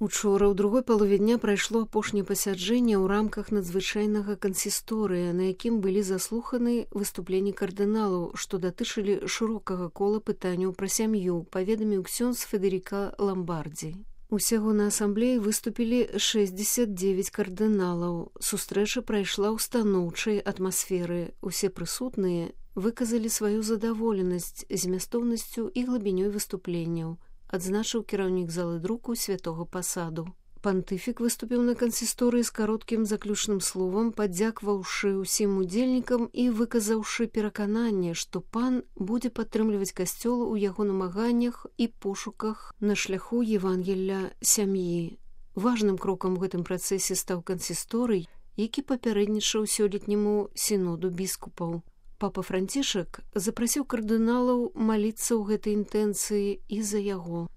Учора ў другой палове дня прайшло апошняе пасяджэнне ў рамках надзвычайнага кансісторыя, на якім былі заслуханы выступленні кардыналаў, што датычылі шырокага кола пытанняў пра сям'ю, паведаміў ксёндз Федэріка Ламбардзі. Усяго на асамблеі выступілі 69 кардыналаў. Сустрэча прайшла ў станоўчай атмасферы. Усе прысутныя выказалі сваю задаволенасць змястоўнасцю і глыбінёй выступленняў, адзначыў кіраўнік залы друку святога пасаду. Пантыфік выступіў на кансісторыі з кароткім заключным словам, падзякваўшы ўсім удзельнікам і выказаўшы перакананне, што пан будзе падтрымліваць касцёл у яго намаганнях і пошуках на шляху Евангелля сям'і. Важным крокам у гэтым працэсе стаў кансісторый, які папярэднічаў сёлетняму сіноду біскупаў. Папа Францішак запрасіў кардыналаў маліцца ў гэтай інтэнцыі і за яго.